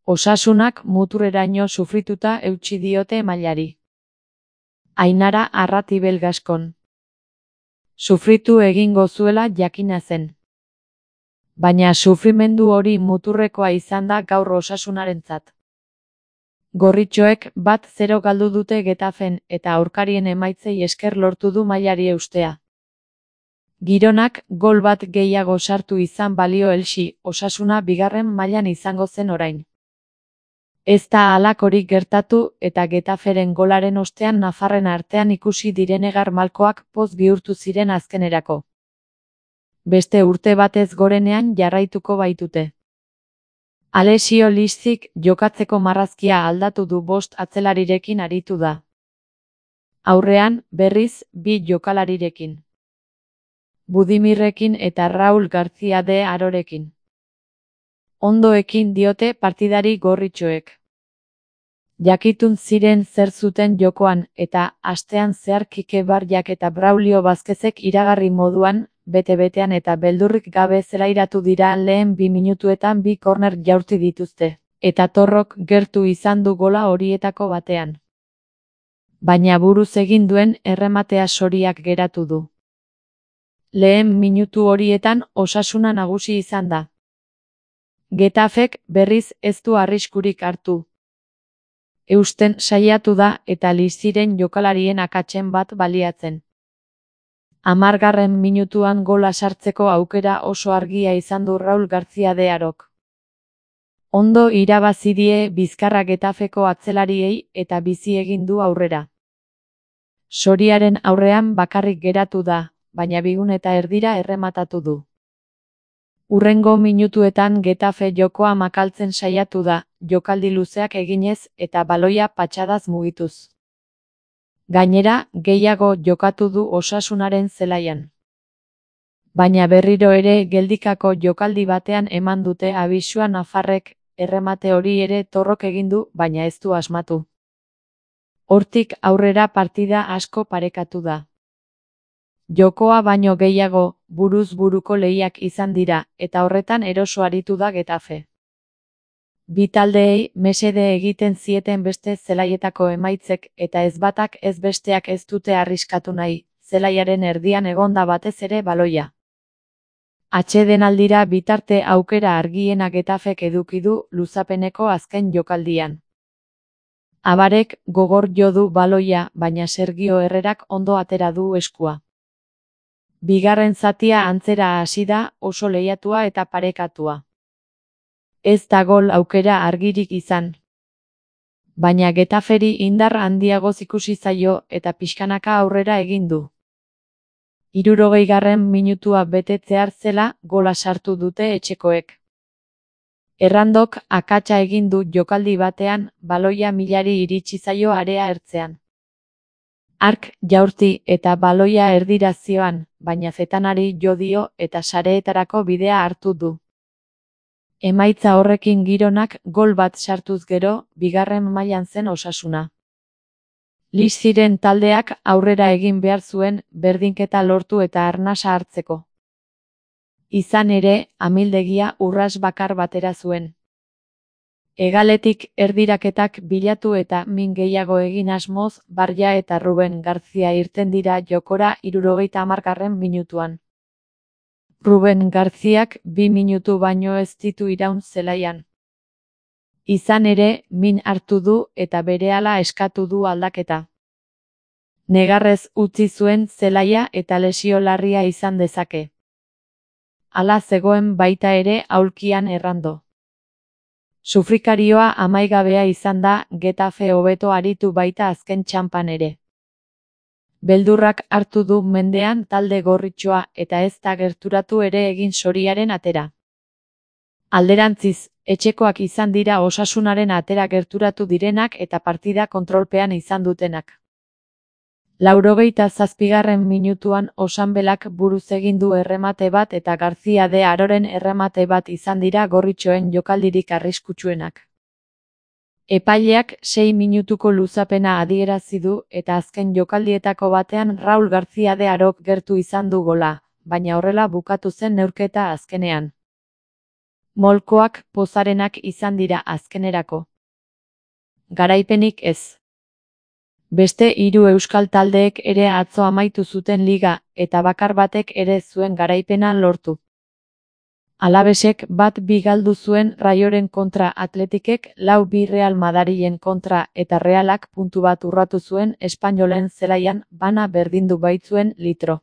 Osasunak muturreraino sufrituta eutsi diote mailari. Ainara Arratibel Gaskon. Sufritu egingo zuela jakina zen. Baina sufrimendu hori muturrekoa izan da gaur Osasunarentzat. Gorritxoek 1-0 galdu dute Getafen eta aurkarien emaitzei esker lortu du mailari eustea. Gironak gol bat gehiago sartu izan balio Elxi, Osasuna bigarren mailan izango zen orain. Ez da halakorik gertatu eta Getaferen golaren ostean nafarren artean ikusi direnegar malkoak poz bihurtu ziren azkenerako. Beste urte batez gorenean jarraituko baitute. Alessio Listzik jokatzeko marrazkia aldatu du 5 atzelarirekin aritu da. Aurrean, berriz, 2 jokalarirekin. Budimirrekin eta Raul García de Arorekin. Ondo ekin diote partidari gorritxoek. Jakitun ziren zer zuten jokoan eta astean zehar Kike Barriak eta Braulio Vázquezek iragarri moduan, bete-betean eta beldurrik gabe zelairatu dira lehen 2 minutuetan 2 korner jaurti dituzte, eta Torrok gertu izan du gola horietako batean. Baina buruz egin duen errematea soriak geratu du. Lehen minutu horietan Osasuna nagusi izan da. Getafek berriz ez du arriskurik hartu. Eusten saiatu da eta Liziren jokalarien akatsen bat baliatzen. 10. minutuan gola sartzeko aukera oso argia izan du Raul García de Arok. Ondo irabazi die bizkarra Getafeko atzelariei eta bizi egin du aurrera. Soriaren aurrean bakarrik geratu da, baina 2 eta erdira errematatu du. Hurrengo minutuetan Getafe jokoa makaltzen saiatu da, jokaldi luzeak eginez eta baloia patxadaz mugituz. Gainera, gehiago jokatu du Osasunaren zelaian. Baina berriro ere geldikako jokaldi batean eman dute abisua nafarrek, erremate hori ere Torrok egin du, baina ez du asmatu. Hortik aurrera partida asko parekatu da. Jokoa baino gehiago, buruz buruko lehiak izan dira, eta horretan eroso aritu da Getafe. Bi taldeei mesede egiten zieten beste zelaietako emaitzek eta ez batak ez besteak ez dute arriskatu nahi, zelaiaren erdian egonda batez ere baloia. Atsedenaldira bitarte aukera argiena Getafek eduki du luzapeneko azken jokaldian. Abarek gogor jo du baloia, baina Sergio Herrerak ondo atera du eskua. Bigarren zatia antzera hasi da, oso lehiatua eta parekatua. Ez da gol aukera argirik izan. Baina Getaferi indar handiagoz ikusi zaio eta pixkanaka aurrera egin du. 60. minutua betetzear zela gola sartu dute etxekoek. Errandok akatsa egin du jokaldi batean, baloia milari iritsi zaio area ertzean. Ark jaurti eta baloia erdira zioan, baina zetanari jo dio eta sareetarako bidea hartu du. Emaitza horrekin Gironak gol bat sartuz gero, bigarren mailan zen Osasuna. Liziren taldeak aurrera egin behar zuen, berdinketa lortu eta arnasa hartzeko. Izan ere, amildegia urras bakar batera zuen. Hegaletik erdiraketak bilatu eta min gehiago egin asmoz, Barria eta Ruben García irten dira jokora 70. minutuan. Ruben Garziak 2 minutu baino ez ditu iraun zelaian. Izan ere, min hartu du eta berehala eskatu du aldaketa. Negarrez utzi zuen zelaia eta lesio larria izan dezake. Hala zegoen baita ere aulkian Errando. Sufrikarioa amaigabea izan da, Getafe hobeto aritu baita azken txanpan ere. Beldurrak hartu du mendean talde gorritxoa eta ez da gerturatu ere egin soriaren atera. Alderantziz, etxekoak izan dira Osasunaren atera gerturatu direnak eta partida kontrolpean izan dutenak. 87. minutuan Osanbelak buruz egin du erremate bat eta García de Aroren erremate bat izan dira gorritxoen jokaldirik arriskutsuenak. Epaileak 6 minutuko luzapena adierazi du eta azken jokaldietako batean Raul García de Arok gertu izan du gola, baina horrela bukatu zen neurketa azkenean. Molkoak pozarenak izan dira azkenerako. Garaipenik ez. Beste 3 euskal taldeek ere atzo amaitu zuten liga, eta bakar batek ere zuen garaipena lortu. Alavesek 1-2 galdu zuen Rayoren kontra, Atletikek 4-2 Real Madrilen kontra eta Realak puntu bat urratu zuen Espainolen zelaian, bana berdindu baitzuen litro.